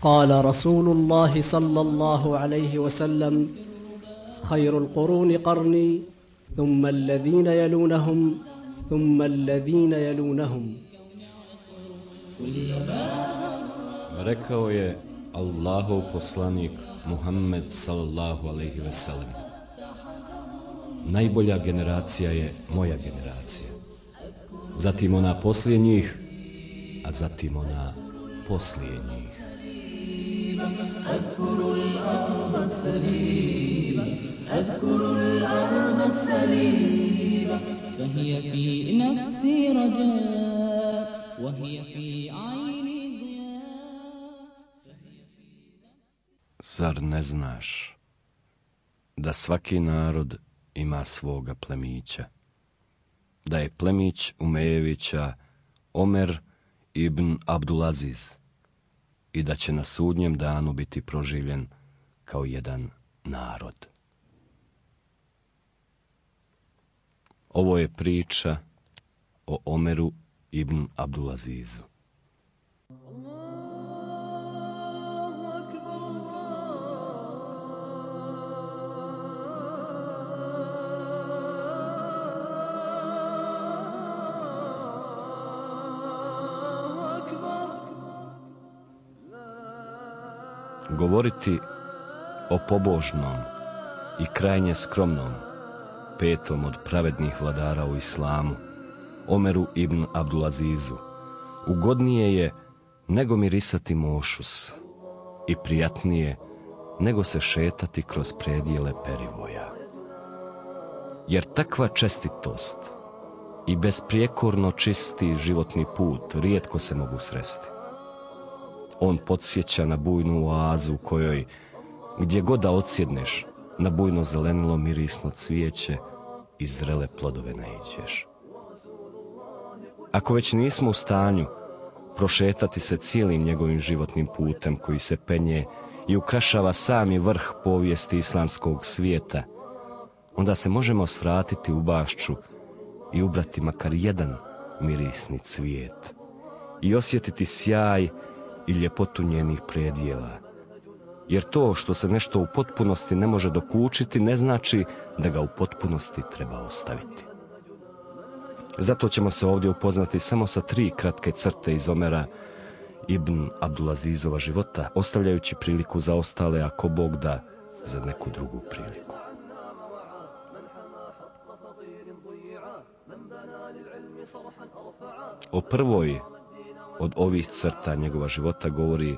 قال رسول الله صلى الله عليه وسلم خير القرون قرني ثم الذين يلونهم ثم الذين يلونهم. Rekao je Allahov poslanik Muhammed sallallahu alejhi ve sellem: najbolja generacija je moja generacija, zatim ona poslije njih, a zatim ona poslije njih. Zar ne znaš da svaki narod ima svoga plemića, da je plemić Umejevića Omer ibn Abdulaziz i da će na sudnjem danu biti proživljen kao jedan narod. Ovo je priča o Omeru ibn Abdulazizu. Govoriti o pobožnom i krajnje skromnom, petom od pravednih vladara u islamu, Omeru ibn Abdulazizu, ugodnije je nego mirisati mošus i prijatnije nego se šetati kroz predjele perivoja. Jer takva čestitost i besprijekorno čisti životni put rijetko se mogu sresti. On podsjeća na bujnu oazu u kojoj, gdje god da odsjedneš, na bujno zelenilo mirisno cvijeće i zrele plodove naiđeš. Ako već nismo u stanju prošetati se cijelim njegovim životnim putem koji se penje i ukrašava sami vrh povijesti islamskog svijeta, onda se možemo svratiti u bašču i ubrati makar jedan mirisni cvijet i osjetiti sjaj i ljepotu njenih predjela. Jer to što se nešto u potpunosti ne može dokučiti ne znači da ga u potpunosti treba ostaviti. Zato ćemo se ovdje upoznati samo sa 3 kratke crte iz Omera ibn Abdulazizova života, ostavljajući priliku za ostale, ako Bog da, za neku drugu priliku. O prvoj od ovih crta njegova života govori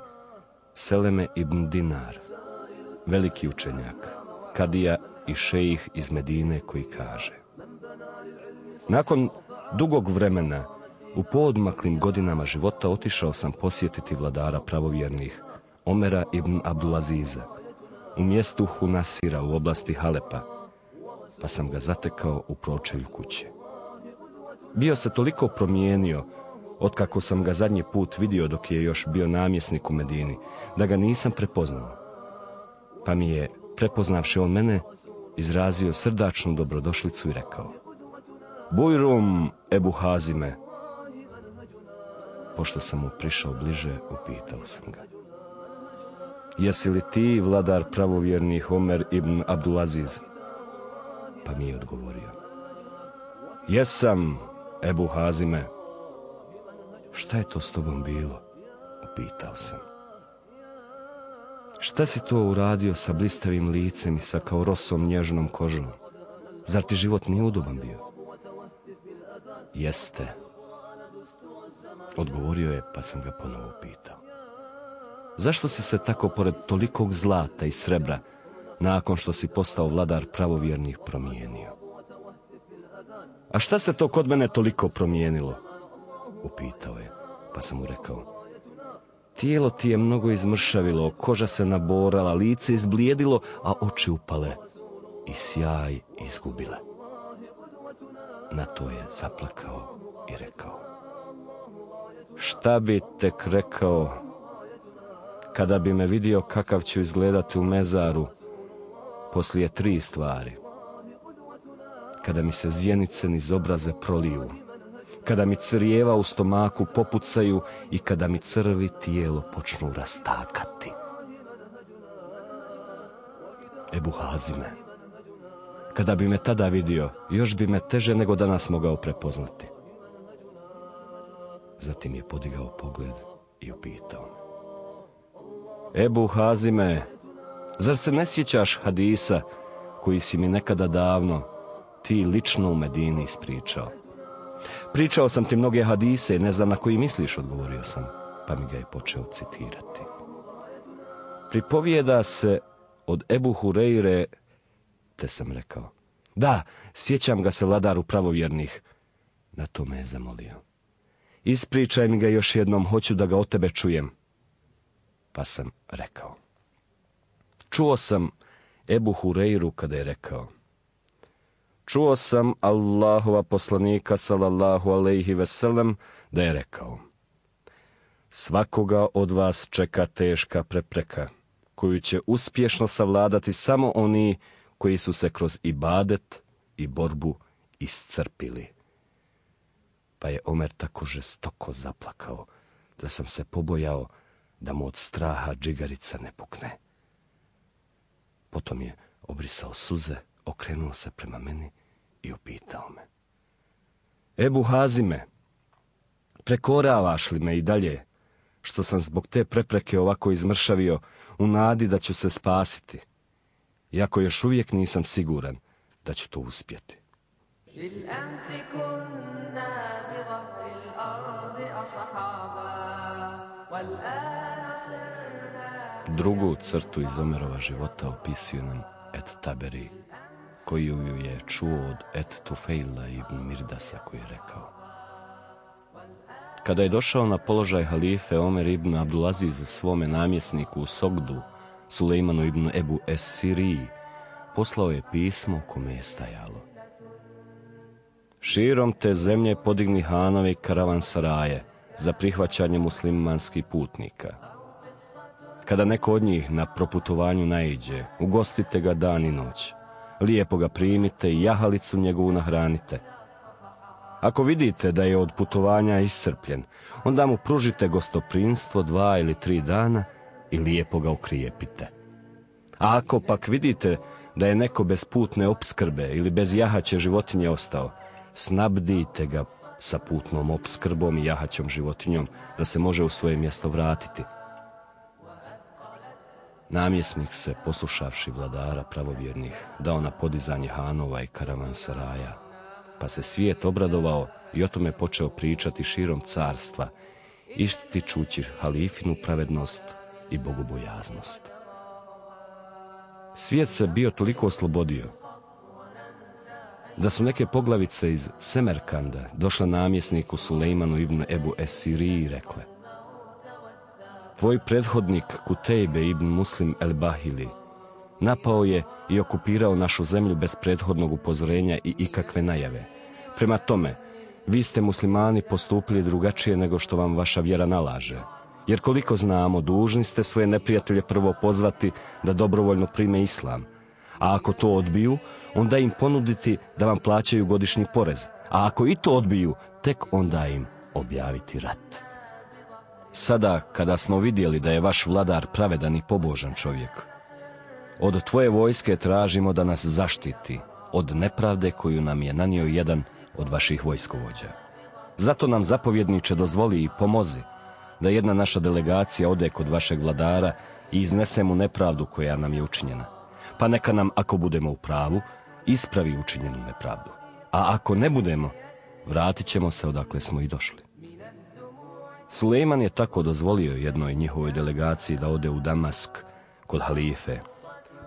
Seleme ibn Dinar, veliki učenjak, kadija i šejih iz Medine, koji kaže: nakon dugog vremena, u poodmaklim godinama života, otišao sam posjetiti vladara pravovjernih, Omera ibn Abdulaziza, u mjestu Hunasira u oblasti Halepa, pa sam ga zatekao u pročelju kuće. Bio se toliko promijenio otkako sam ga zadnji put vidio dok je još bio namjesnik u Medini, da ga nisam prepoznao. Pa mi je, prepoznavši on mene, izrazio srdačnu dobrodošlicu i rekao: Bujrum, Ebu Hazime. Pošto sam mu prišao bliže, upitao sam ga: jesi li ti vladar pravovjernih Omer ibn Abdulaziz? Pa mi je odgovorio: jesam, Ebu Hazime. Šta je to s tobom bilo? Upitao sam. Šta si to uradio sa blistavim licem i sa kao rosom nježnom kožom? Zar ti život nije udoban bio? Jeste, odgovorio je, pa sam ga ponovo pitao: zašto si se tako pored tolikog zlata i srebra, nakon što si postao vladar pravovjernih, promijenio? A šta se to kod mene toliko promijenilo? Upitao je, pa sam mu rekao: tijelo ti je mnogo izmršavilo, koža se naborala, lice izblijedilo, a oči upale i sjaj izgubile. Na to je zaplakao i rekao: šta bi tek rekao kada bi me vidio kakav ću izgledati u mezaru poslije 3 stvari: kada mi se zjenice niz obraze proliju, kada mi crijeva u stomaku popucaju i kada mi crvi tijelo počnu rastakati. Ebu Hazime, kada bi me tada vidio, još bi me teže nego danas mogao prepoznati. Zatim je podigao pogled i upitao me: Ebu Hazime, zar se ne sjećaš hadisa koji si mi nekada davno ti lično u Medini ispričao? Pričao sam ti mnoge hadise, ne znam na koji misliš, odgovorio sam, pa mi ga je počeo citirati. Pripovijeda se od Ebu Hureyre, te sam rekao: da, sjećam ga se, vladaru pravovjernih. Na to me je zamolio: ispričaj mi ga još jednom, hoću da ga od tebe čujem. Pa sam rekao: čuo sam Ebu Hureyru kada je rekao: čuo sam Allahova poslanika sallallahu alejhi ve sellem da je rekao: svakoga od vas čeka teška prepreka koju će uspješno savladati samo oni koji su se kroz ibadet i borbu iscrpili. Pa je Omer tako žestoko zaplakao da sam se pobojao da mu od straha džigarica ne pukne. Potom je obrisao suze, okrenuo se prema meni i upitao me: Ebu Hazime, prekoravaš li me i dalje, što sam zbog te prepreke ovako izmršavio u nadi da ću se spasiti, iako još uvijek nisam siguran da ću to uspjeti? Drugu crtu iz Omerova života opisuje nam Et Taberi, koji ju je čuo od Et Tufejla ibn Mirdasa, koji je rekao: kada je došao na položaj halife, Omer ibn Abdulaziz svome namjesniku u Sogdu, Sulejmanu ibn Ebu Es-Siriji, poslao je pismo u kome je stajalo: širom te zemlje podigni hanovi karavansaraje za prihvaćanje muslimanskih putnika. Kada neko od njih na proputovanju naiđe, ugostite ga dan i noć, lijepo ga primite i jahalicu njegovu nahranite. Ako vidite da je od putovanja iscrpljen, onda mu pružite gostoprimstvo 2 ili 3 dana i lijepo ga okrijepite. A ako pak vidite da je neko bez putne opskrbe ili bez jahaće životinje ostao, snabdite ga sa putnom opskrbom i jahaćom životinjom da se može u svoje mjesto vratiti. Namjesnik se, poslušavši vladara pravovjernih, dao na podizanje hanova i karavansaraja, pa se svijet obradovao i o tome počeo pričati širom carstva, ističući halifinu pravednost i bogobojaznost. Svijet se bio toliko oslobodio da su neke poglavice iz Semerkanda došle namjesniku Sulejmanu ibn Ebu Es-Siriji i rekle: tvoj prethodnik Kutejbe ibn Muslim el-Bahili napao je i okupirao našu zemlju bez prethodnog upozorenja i ikakve najave. Prema tome, vi ste muslimani postupili drugačije nego što vam vaša vjera nalaže. Jer koliko znamo, dužni ste svoje neprijatelje prvo pozvati da dobrovoljno prime islam. A ako to odbiju, onda im ponuditi da vam plaćaju godišnji porez. A ako i to odbiju, tek onda im objaviti rat. Sada, kada smo vidjeli da je vaš vladar pravedan i pobožan čovjek, od tvoje vojske tražimo da nas zaštiti od nepravde koju nam je nanio jedan od vaših vojskovođa. Zato nam, zapovjedniče, dozvoli i pomozi da jedna naša delegacija ode kod vašeg vladara i iznese mu nepravdu koja nam je učinjena. Pa neka nam, ako budemo u pravu, ispravi učinjenu nepravdu. A ako ne budemo, vratit ćemo se odakle smo i došli. Sulejman je tako dozvolio jednoj njihovoj delegaciji da ode u Damask kod halife,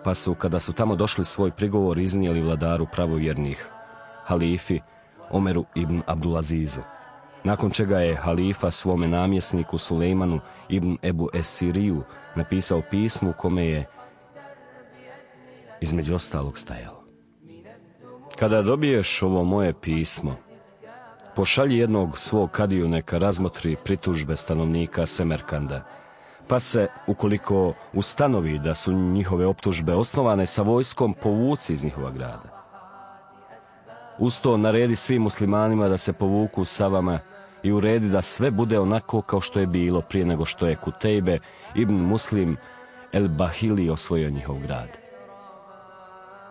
pa su, kada su tamo došli, svoj prigovor iznijeli vladaru pravovjernih, halifi Omeru ibn Abdulazizu. Nakon čega je halifa svome namjesniku Sulejmanu ibn Ebu Es-Siriju napisao pismo u kome je između ostalog stajalo: kada dobiješ ovo moje pismo, pošalji jednog svog kadiju neka razmotri pritužbe stanovnika Semerkanda, pa se, ukoliko ustanovi da su njihove optužbe osnovane, sa vojskom povuci iz njihova grada. Uz to naredi svim muslimanima da se povuku sa vama i uredi da sve bude onako kao što je bilo prije nego što je Kutejbe ibn Muslim el-Bahili osvojio njihov grad.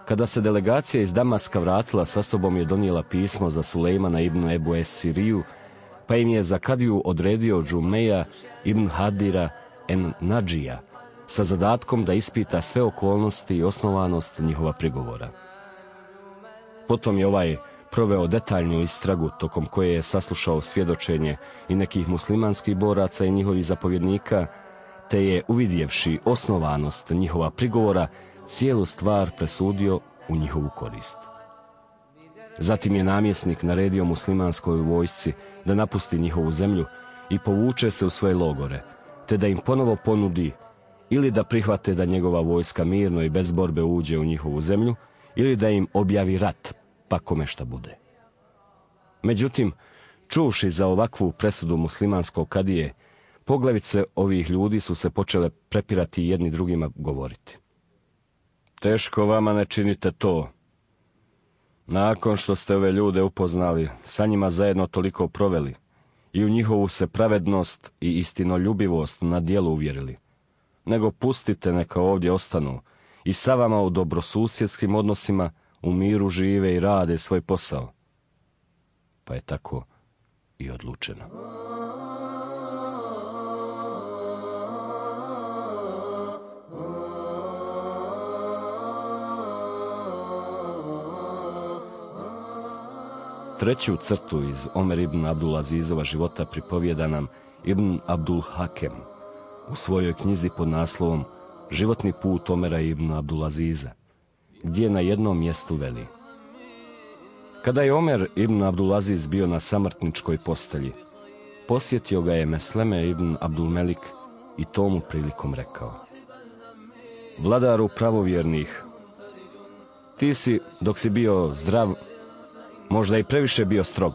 Kada se delegacija iz Damaska vratila, sa sobom je donijela pismo za Sulejmana ibn Ebu Es-Siriju, pa im je za kadiju odredio Džumeja ibn Hadira en Nadžija sa zadatkom da ispita sve okolnosti i osnovanost njihova prigovora. Potom je ovaj proveo detaljnu istragu tokom koje je saslušao svjedočenje i nekih muslimanskih boraca i njihovih zapovjednika, te je, uvidjevši osnovanost njihova prigovora, cijelu stvar presudio u njihovu korist. Zatim je namjesnik naredio muslimanskoj vojsci da napusti njihovu zemlju i povuče se u svoje logore, te da im ponovo ponudi ili da prihvate da njegova vojska mirno i bez borbe uđe u njihovu zemlju, ili da im objavi rat, pa kome šta bude. Međutim, čuvši za ovakvu presudu muslimanskog kadije, poglavice ovih ljudi su se počele prepirati jedni drugima govoriti. Teško vama ne činite to. Nakon što ste ove ljude upoznali, sa njima zajedno toliko proveli i u njihovu se pravednost i istinoljubivost na djelu uvjerili, nego pustite neka ovdje ostanu i sa vama u dobrosusjedskim odnosima u miru žive i rade svoj posao. Pa je tako i odlučeno. Treću crtu iz Omer ibn Abdul Azizova života pripovijeda nam Ibn Abdul Hakem u svojoj knjizi pod naslovom Životni put Omera ibn Abdul Aziza, gdje na jednom mjestu veli: kada je Omer ibn Abdul Aziz bio na samrtničkoj postelji, posjetio ga je Mesleme ibn Abdul Melik i tomu prilikom rekao: vladaru pravovjernih, ti si, dok si bio zdrav, možda i previše bio strog,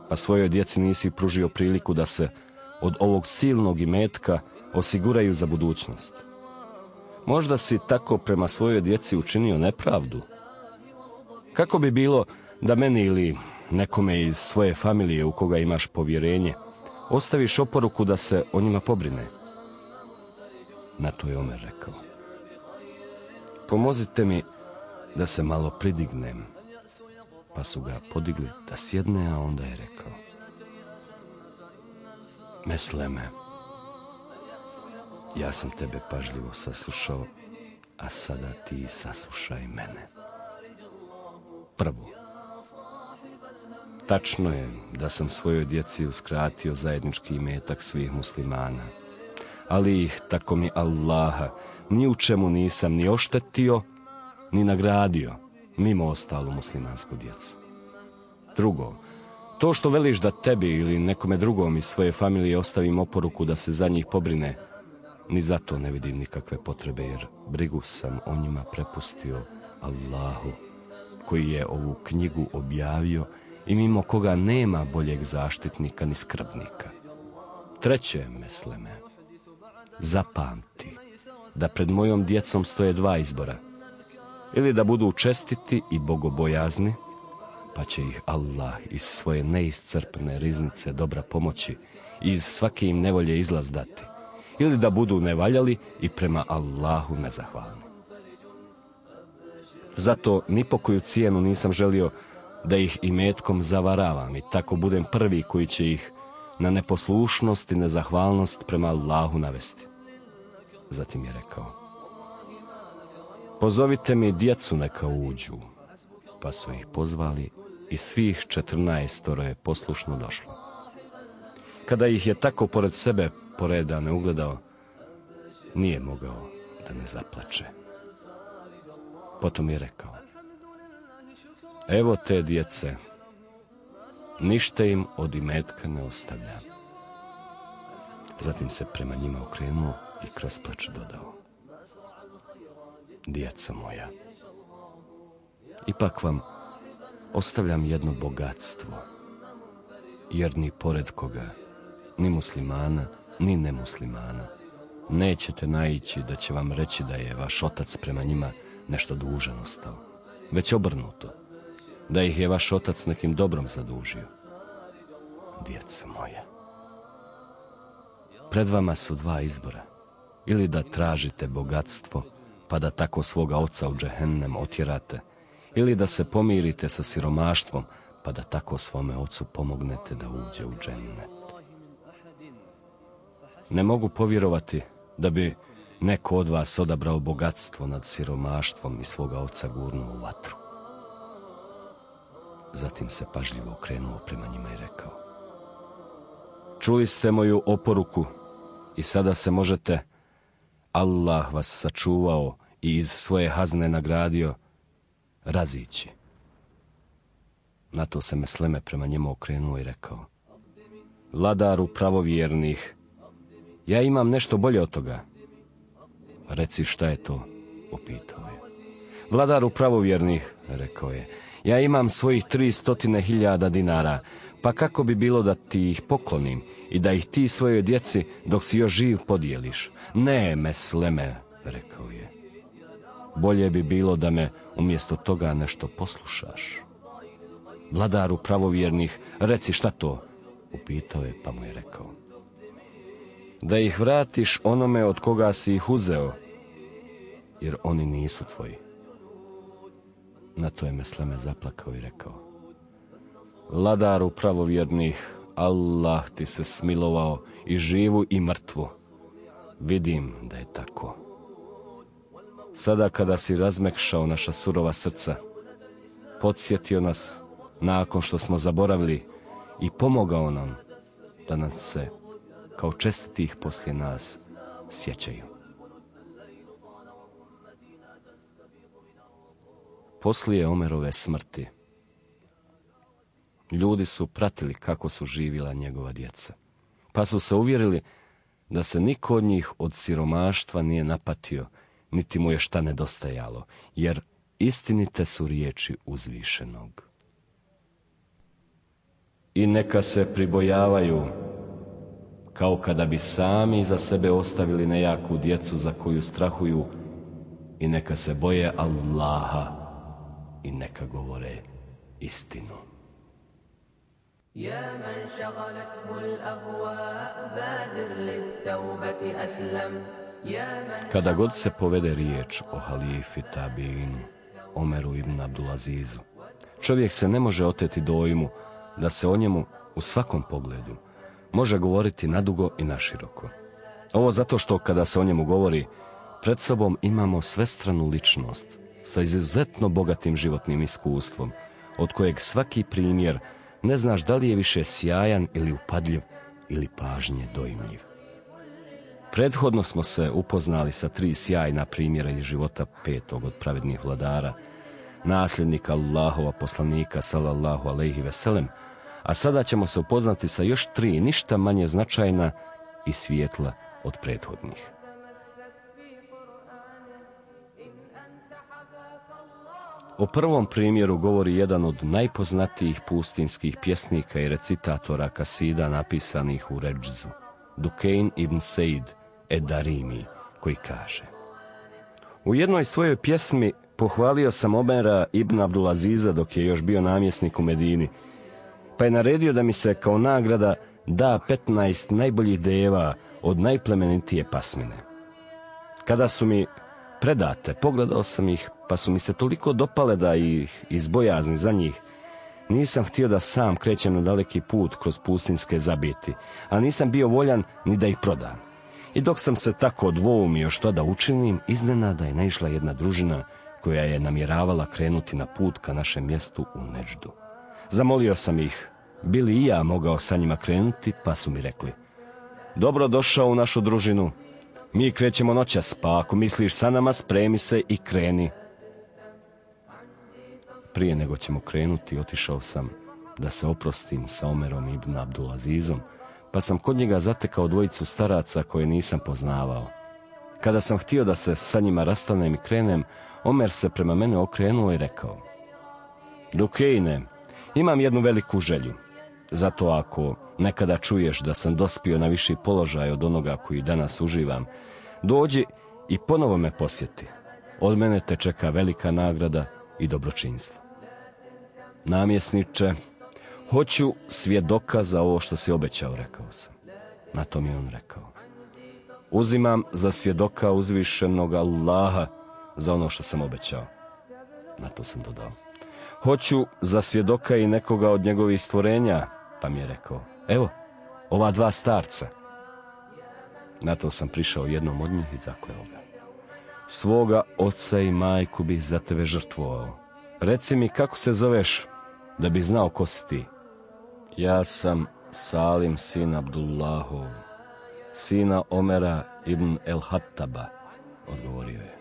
pa svojoj djeci nisi pružio priliku da se od ovog silnog imetka osiguraju za budućnost. Možda si tako prema svojoj djeci učinio nepravdu. Kako bi bilo da meni ili nekome iz svoje familije u koga imaš povjerenje ostaviš oporuku da se o njima pobrine? Na to je Omer rekao: pomozite mi da se malo pridignem. Pa su ga podigli da sjedne, a onda je rekao: Mesleme, ja sam tebe pažljivo saslušao, a sada ti saslušaj mene. Prvo, tačno je da sam svojoj djeci uskratio zajednički imetak svih muslimana, ali ih, tako mi Allaha, ni u čemu nisam ni oštetio, ni nagradio, mimo ostalu muslimansku djecu. Drugo, to što veliš da tebi ili nekome drugom iz svoje familije ostavim oporuku da se za njih pobrine, ni zato ne vidim nikakve potrebe, jer brigu sam o njima prepustio Allahu, koji je ovu knjigu objavio i mimo koga nema boljeg zaštitnika ni skrbnika. Treće, Mesleme, zapamti da pred mojom djecom stoje dva izbora: ili da budu čestiti i bogobojazni, pa će ih Allah iz svoje neiscrpne riznice dobra pomoći i iz svake im nevolje izlaz dati, ili da budu nevaljali i prema Allahu nezahvalni. Zato ni po koju cijenu nisam želio da ih imetkom zavaravam i tako budem prvi koji će ih na neposlušnost i nezahvalnost prema Allahu navesti. Zatim je rekao: pozovite mi djecu neka uđu. Pa su ih pozvali i svih 14 je poslušno došlo. Kada ih je tako pored sebe poredane ugledao, nije mogao da ne zaplače. Potom je rekao: evo te djece, ništa im od imetka ne ostavlja. Zatim se prema njima okrenuo i kroz plač dodao: djeco moja, ipak vam ostavljam jedno bogatstvo, jer ni pored koga, ni muslimana, ni nemuslimana, nećete naići da će vam reći da je vaš otac prema njima nešto dužan ostao, već obrnuto, da ih je vaš otac nekim dobrom zadužio. Djeco moja, pred vama su dva izbora. Ili da tražite bogatstvo, pa da tako svoga oca u džehennem otjerate, ili da se pomirite sa siromaštvom, pa da tako svome ocu pomognete da uđe u džennet. Ne mogu povjerovati da bi neko od vas odabrao bogatstvo nad siromaštvom i svoga oca gurnuo u vatru. Zatim se pažljivo okrenuo prema njima i rekao: čuli ste moju oporuku i sada se možete, Allah vas sačuvao i iz svoje hazne nagradio, razići. Na to se Mesleme prema njemu okrenuo i rekao: vladaru pravovjernih, ja imam nešto bolje od toga. Reci šta je to, upitao je. Vladaru pravovjernih, rekao je, ja imam svojih 300.000 dinara, pa kako bi bilo da ti ih poklonim i da ih ti svojoj djeci dok si još živ podijeliš? Ne, Mesleme, rekao je, bolje bi bilo da me umjesto toga nešto poslušaš. Vladaru pravovjernih, reci šta to, upitao je, pa mu je rekao: da ih vratiš onome od koga si ih uzeo, jer oni nisu tvoji. Na to je Mesleme zaplakao i rekao: vladaru pravovjernih, Allah ti se smilovao i živu i mrtvu. Vidim da je tako. Sada kada si razmekšao naša surova srca, podsjetio nas nakon što smo zaboravili i pomogao nam da nam se, kao čestitih poslije nas, sjećaju. Poslije Omerove smrti, ljudi su pratili kako su živjela njegova djeca, pa su se uvjerili da se niko od njih od siromaštva nije napatio, niti mu je šta nedostajalo, jer istinite su riječi uzvišenog. I neka se pribojavaju, kao kada bi sami za sebe ostavili nejaku djecu za koju strahuju, i neka se boje Allaha i neka govore istinu. يا من شغلته الأهواء بادر للتوبة أسلم. Kada god se povede riječ o halifi Tabiinu, Omeru ibn Abdulazizu, čovjek se ne može oteti dojmu da se o njemu u svakom pogledu može govoriti nadugo i naširoko. Ovo zato što kada se o njemu govori, pred sobom imamo svestranu ličnost sa izuzetno bogatim životnim iskustvom, od kojeg svaki primjer ne znaš da li je više sjajan ili upadljiv ili pažnje dojmljiv. Prethodno smo se upoznali sa 3 sjajna primjera iz života 5. od pravednih vladara, nasljednika Allahova poslanika sallallahu alejhi ve sellem, a sada ćemo se upoznati sa još 3 ništa manje značajna i svijetla od prethodnih. O prvom primjeru govori jedan od najpoznatijih pustinskih pjesnika i recitatora kasida napisanih u Redžzu, Dukein ibn Sejd Edarimi, koji kaže: u jednoj svojoj pjesmi pohvalio sam Omera ibn Abdulaziza dok je još bio namjesnik u Medini, pa je naredio da mi se kao nagrada da 15 najboljih deva od najplemenitije pasmine. Kada su mi predate, pogledao sam ih, pa su mi se toliko dopale da ih iz bojazni za njih nisam htio da sam krećem na daleki put kroz pustinske zabiti, a nisam bio voljan ni da ih prodam. I dok sam se tako dvoumio što da učinim, iznenada je naišla jedna družina koja je namjeravala krenuti na put ka našem mjestu u Neđdu. Zamolio sam ih, bi li i ja mogao sa njima krenuti, pa su mi rekli: dobro došao u našu družinu, mi krećemo noćas, pa ako misliš sa nama, spremi se i kreni. Prije nego ćemo krenuti, otišao sam da se oprostim sa Omerom ibn Abdulazizom, pa sam kod njega zatekao 2 staraca koje nisam poznavao. Kada sam htio da se sa njima rastanem i krenem, Omer se prema mene okrenuo i rekao: Dukeine, imam jednu veliku želju. Zato ako nekada čuješ da sam dospio na viši položaj od onoga koji danas uživam, dođi i ponovo me posjeti. Od mene te čeka velika nagrada i dobročinstvo. namjesniče, hoću svjedoka za ovo što si obećao, rekao sam. Na to mi on rekao, uzimam za svjedoka uzvišenog Allaha za ono što sam obećao. Na to sam dodao, hoću za svjedoka i nekoga od njegovih stvorenja, pa mi je rekao, evo, ova dva starca. Na to sam prišao jednom od njih i zakleo ga. Svoga oca i majku bih za tebe žrtvovao. Reci mi kako se zoveš, da bi znao ko si ti. Ja sam Salim sin Abdullahov, sina Omera ibn el-Hattaba, odgovorio je.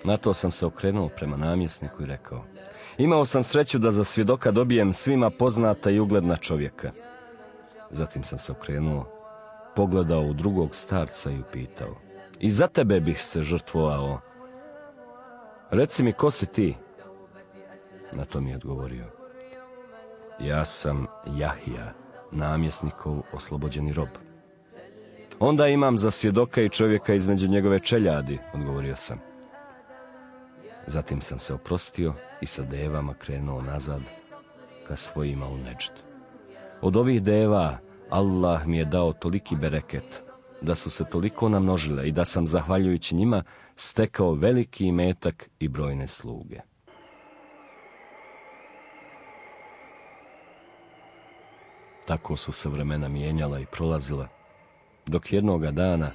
Na to sam se okrenuo prema namjesniku i rekao, imao sam sreću da za svjedoka dobijem svima poznata i ugledna čovjeka. Zatim sam se okrenuo, pogledao u drugog starca i upitao, i za tebe bih se žrtvovao. Reci mi ko si ti? Na to mi je odgovorio, ja sam Jahija, namjesnikov oslobođeni rob. Onda imam za svjedoka i čovjeka između njegove čeljadi, odgovorio sam. Zatim sam se oprostio i sa devama krenuo nazad ka svojima u Neđd. Od ovih deva Allah mi je dao toliki bereket da su se toliko namnožile i da sam, zahvaljujući njima, stekao veliki imetak i brojne sluge. Tako su se vremena mijenjala i prolazila, dok jednoga dana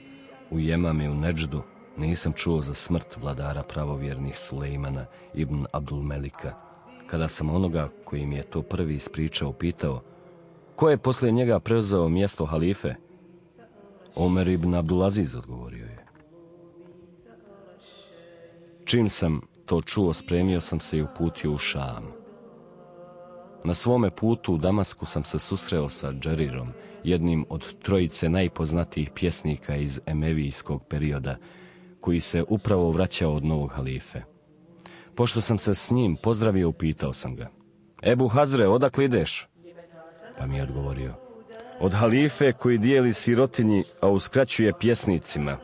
u Jemami u Neđdu nisam čuo za smrt vladara pravovjernih Sulejmana ibn Abdulmelika, kada sam onoga koji mi je to prvi ispričao pitao, ko je poslije njega preuzeo mjesto halife? Omer ibn Abdulaziz, odgovorio je. Čim sam to čuo, spremio sam se i uputio u Šam. Na svome putu u Damasku sam se susreo sa Džerirom, jednim od trojice najpoznatijih pjesnika iz emevijskog perioda, koji se upravo vraćao od novog halife. Pošto sam se s njim pozdravio, upitao sam ga, Ebu Hazre, odakle ideš? Pa mi je odgovorio, od halife koji dijeli sirotinji, a uskraćuje pjesnicima.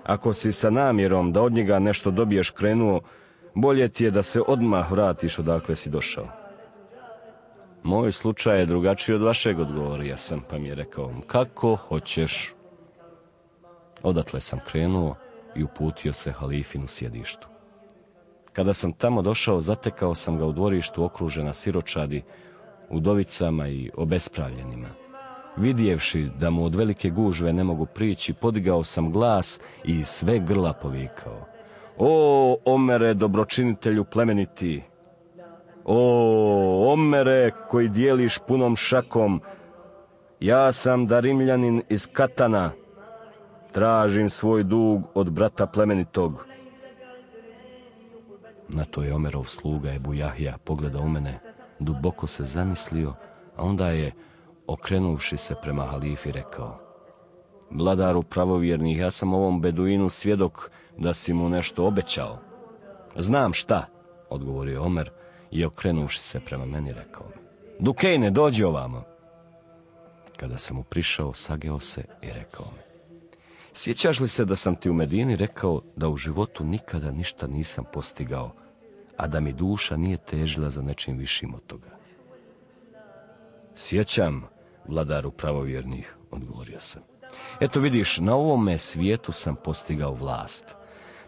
Ako si sa namjerom da od njega nešto dobiješ krenuo, bolje ti je da se odmah vratiš odakle si došao. Moj slučaj je drugačiji od vašeg, odgovorio sam, pa mi je rekao, kako hoćeš. Odatle sam krenuo i uputio se halifinu sjedištu. Kada sam tamo došao, zatekao sam ga u dvorištu okružena siročadi, udovicama i obespravljenima. Vidjevši da mu od velike gužve ne mogu prići, podigao sam glas i iz sve grla povikao, o Omere, dobročinitelju plemeniti! O Omere, koji dijeliš punom šakom, ja sam Darimljanin iz Katana, tražim svoj dug od brata plemenitog. Na to je Omerov sluga Ebu Jahja pogledao u mene, duboko se zamislio, a onda je, okrenuvši se prema halifi, rekao, vladaru pravovjernih, ja sam ovom beduinu svjedok da si mu nešto obećao. Znam šta, odgovorio Omer i okrenuvši se prema meni rekao mi, Dukejne, dođi ovamo. Kada sam mu prišao, sageo se i rekao mi, sjećaš li se da sam ti u Medini rekao da u životu nikada ništa nisam postigao, a da mi duša nije težila za nečim višim od toga? Sjećam, vladaru pravovjernih, odgovorio sam. Eto vidiš, na ovome svijetu sam postigao vlast.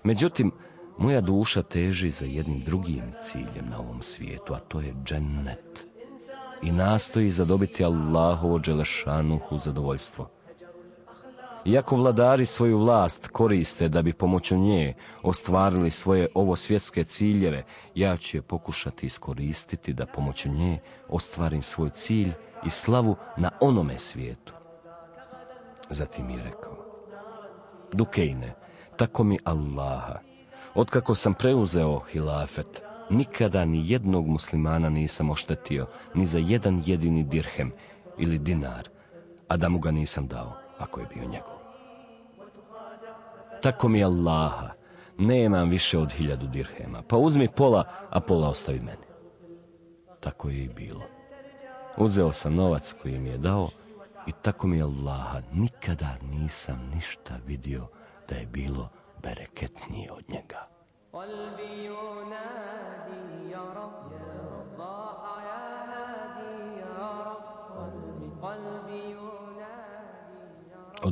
Međutim, moja duša teži za jednim drugim ciljem na ovom svijetu, a to je džennet. I nastoji zadobiti Allahovo dželešanuhu zadovoljstvo. Iako vladari svoju vlast koriste da bi pomoću nje ostvarili svoje ovosvjetske ciljeve, ja ću je pokušati iskoristiti da pomoću nje ostvarim svoj cilj i slavu na onome svijetu. Zatim je rekao, Dukejne, tako mi Allaha, otkako sam preuzeo hilafet, nikada ni jednog muslimana nisam oštetio ni za jedan jedini dirhem ili dinar, a da mu ga nisam dao, ako je bio njegov. Tako mi Allaha, nemam više od 1000 dirhema, pa uzmi pola, a pola ostavi meni. Tako je i bilo. Uzeo sam novac koji mi je dao i tako mi Allaha, nikada nisam ništa vidio da je bilo bereketnije od njega.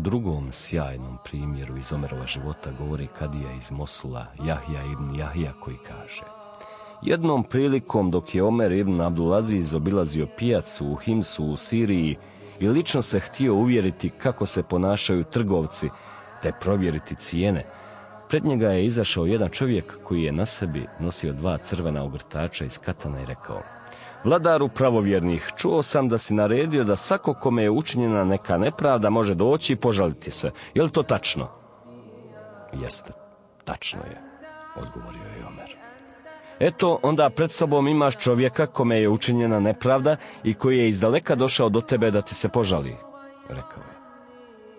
drugom sjajnom primjeru iz Omerova života govori kadija iz Mosula, Jahja ibn Jahja, koji kaže: jednom prilikom dok je Omer ibn Abdulaziz obilazio pijacu u Himsu u Siriji i lično se htio uvjeriti kako se ponašaju trgovci te provjeriti cijene, pred njega je izašao jedan čovjek koji je na sebi nosio 2 crvena ogrtača iz katana i rekao: vladaru pravovjernih, čuo sam da si naredio da svako kome je učinjena neka nepravda može doći i požaliti se. Je li to tačno? Jeste, tačno je, odgovorio je Omer. Eto, onda pred sobom imaš čovjeka kome je učinjena nepravda i koji je izdaleka došao do tebe da ti se požali, rekao je.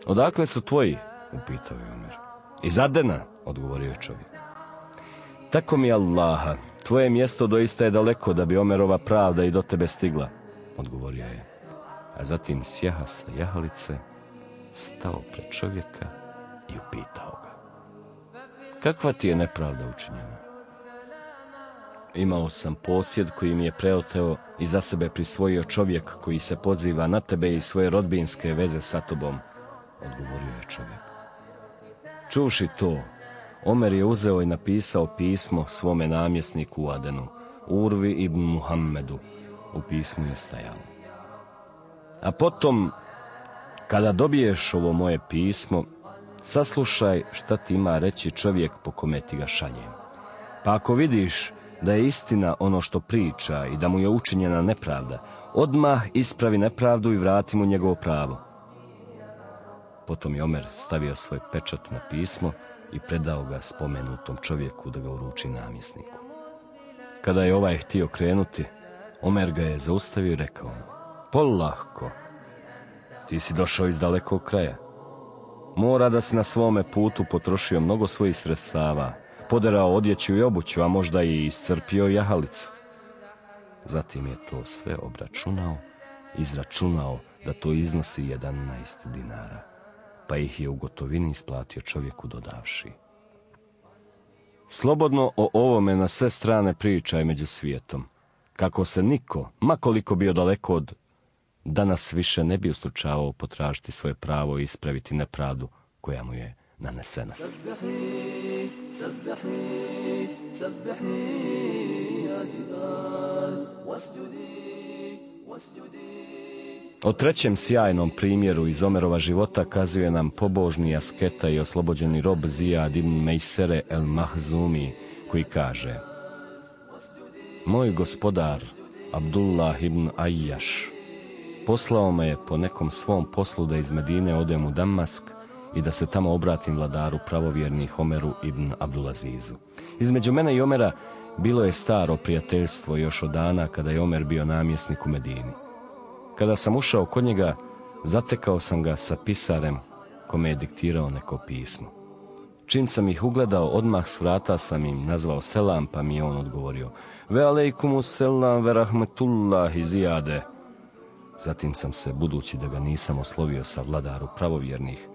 Odakle su tvoji? Upitao je Omer. Iz Adena, odgovorio je čovjek. Tako mi Allaha, tvoje mjesto doista je daleko da bi Omerova pravda i do tebe stigla, odgovorio je. A zatim sjaha sa jahalice, stao pred čovjeka i upitao ga: kakva ti je nepravda učinjena? Imao sam posjed koji mi je preoteo i za sebe prisvojio čovjek koji se poziva na tebe i svoje rodbinske veze sa tobom, odgovorio je čovjek. Čuvši to, Omer je uzeo i napisao pismo svome namjesniku u Adenu, Urvi ibn Muhammedu. U pismu je stajalo: a potom, kada dobiješ ovo moje pismo, saslušaj šta ti ima reći čovjek po kome ti ga šaljem. Pa ako vidiš da je istina ono što priča i da mu je učinjena nepravda, odmah ispravi nepravdu i vrati mu njegovo pravo. Potom je Omer stavio svoj pečat na pismo i predao ga spomenutom čovjeku da ga uruči namjesniku. Kada je ovaj htio krenuti, Omer ga je zaustavio i rekao mu: polahko, ti si došao iz dalekog kraja. Mora da si na svome putu potrošio mnogo svojih sredstava, poderao odjeću i obuću, a možda i iscrpio jahalicu. Zatim je to sve obračunao, izračunao da to iznosi 11 dinara, pa ih je u gotovini isplatio čovjeku dodavši: slobodno o ovome na sve strane pričaj među svijetom, kako se niko, ma koliko bio daleko od, danas više ne bi ustručavao potražiti svoje pravo i ispraviti nepravdu koja mu je nanesena. O trećem sjajnom primjeru iz Omerova života kazuje nam pobožni asketa i oslobođeni rob Zijad ibn Mejsere el Mahzumi, koji kaže: moj gospodar Abdullah ibn Ajjaš poslao me je po nekom svom poslu da iz Medine odem u Damask i da se tamo obratim vladaru pravovjernih Omeru ibn Abdulazizu. Između mene i Omera bilo je staro prijateljstvo još od dana kada je Omer bio namjesnik u Medini. Kada sam ušao kod njega, zatekao sam ga sa pisarem kome je diktirao neko pismo. Čim sam ih ugledao, odmah s vrata sam im nazvao selam, pa mi je on odgovorio: ve alejkumu selam ve rahmetullahi Zijade. Zatim sam se, budući da ga nisam oslovio sa vladaru pravovjernih,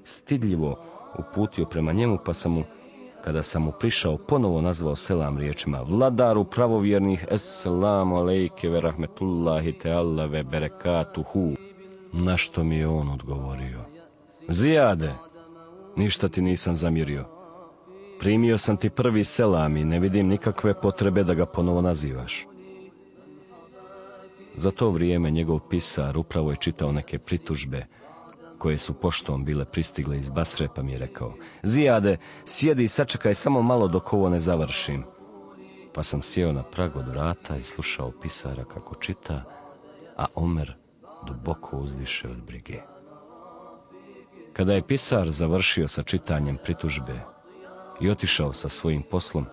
stidljivo uputio prema njemu, pa sam mu, kada sam mu prišao, ponovo nazvao selam riječima: vladaru pravovjernih, esselamu alejke ve rahmetullahi teala ve berekatuhu. Na što mi je on odgovorio: Zijade, ništa ti nisam zamjerio. Primio sam ti prvi selam i ne vidim nikakve potrebe da ga ponovo nazivaš. Za to vrijeme njegov pisar upravo je čitao neke pritužbe koje su poštom bile pristigle iz Basre, pa mi je rekao: Zijade, sjedi i sačekaj samo malo dok ovo ne završim. Pa sam sjeo na prag od vrata i slušao pisara kako čita, a Omer duboko uzdiše od brige. Kada je pisar završio sa čitanjem pritužbe i otišao sa svojim poslom,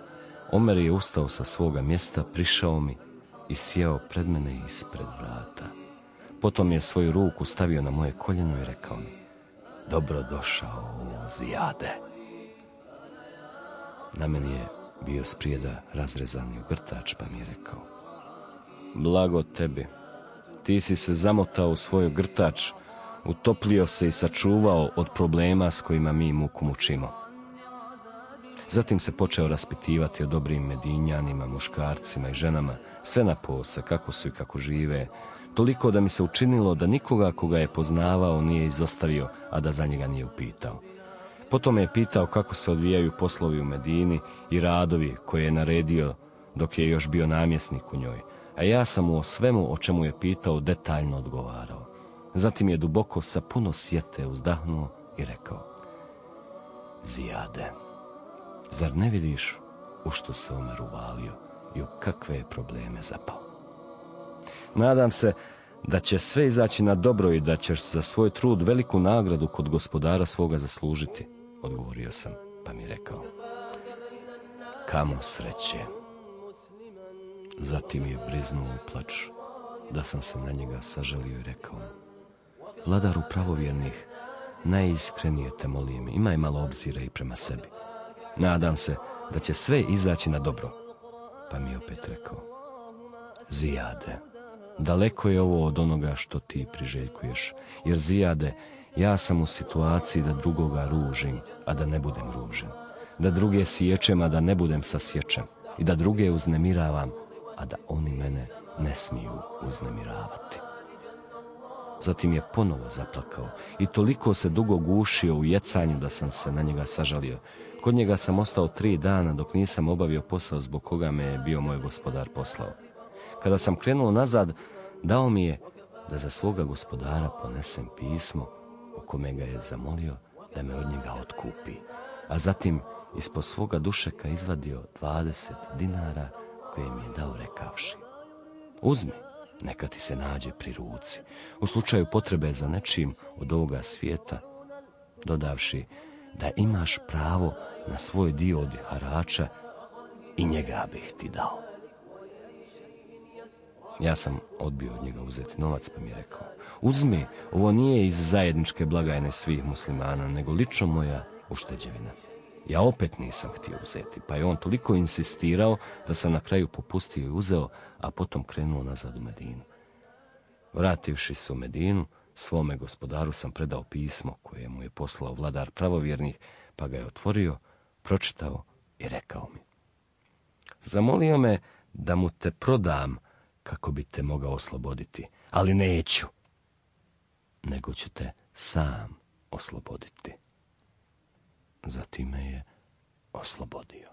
Omer je ustao sa svoga mjesta, prišao mi i sjeo pred mene ispred vrata. Potom je svoju ruku stavio na moje koljeno i rekao mi: dobro došao, Zijade. Na meni je bio sprijeda razrezani ogrtač, pa mi je rekao: blago tebi, ti si se zamotao u svoj ogrtač, utoplio se i sačuvao od problema s kojima mi muku mučimo. Zatim se počeo raspitivati o dobrim Medinjanima, muškarcima i ženama, sve na pose, kako su i kako žive, Toliko da mi se učinilo da nikoga koga je poznavao nije izostavio, a da za njega nije upitao. Potom me je pitao kako se odvijaju poslovi u Medini i radovi koje je naredio dok je još bio namjesnik u njoj, a ja sam mu o svemu o čemu je pitao detaljno odgovarao. Zatim je duboko sa puno sjete uzdahnuo i rekao: Zijade, zar ne vidiš u što se Omer uvalio i u kakve je probleme zapao? Nadam se da će sve izaći na dobro i da ćeš za svoj trud veliku nagradu kod gospodara svoga zaslužiti, odgovorio sam, pa mi rekao: kamo sreće. Zatim je briznuo u plač, da sam se na njega sažalio i rekao: vladaru pravovjernih, najiskrenije te molim, imaj malo obzira i prema sebi. Nadam se da će sve izaći na dobro. Pa mi opet rekao: Zijade, daleko je ovo od onoga što ti priželjkuješ, jer Zijade, ja sam u situaciji da drugoga ružim, a da ne budem ružen, da druge siječem, a da ne budem sasječen, i da druge uznemiravam, a da oni mene ne smiju uznemiravati. Zatim je ponovo zaplakao i toliko se dugo gušio u jecanju da sam se na njega sažalio. Kod njega sam ostao 3 dana dok nisam obavio posao zbog koga me je bio moj gospodar poslao. Kada sam krenuo nazad, dao mi je da za svoga gospodara ponesem pismo u kome ga je zamolio da me od njega otkupi, a zatim ispod svoga dušeka izvadio 20 dinara koje mi je dao rekavši: uzmi, neka ti se nađe pri ruci, u slučaju potrebe za nečim od ovoga svijeta, dodavši da imaš pravo na svoj dio od harača i njega bih ti dao. Ja sam odbio od njega uzeti novac, pa mi je rekao: uzmi, ovo nije iz zajedničke blagajne svih muslimana, nego lično moja ušteđevina. Ja opet nisam htio uzeti, pa je on toliko insistirao da sam na kraju popustio i uzeo, a potom krenuo nazad u Medinu. Vrativši se u Medinu, svome gospodaru sam predao pismo koje mu je poslao vladar pravovjernih, pa ga je otvorio, pročitao i rekao mi: zamolio me da mu te prodam kako bi te mogao osloboditi, ali neću, nego ću te sam osloboditi. Zatim me je oslobodio.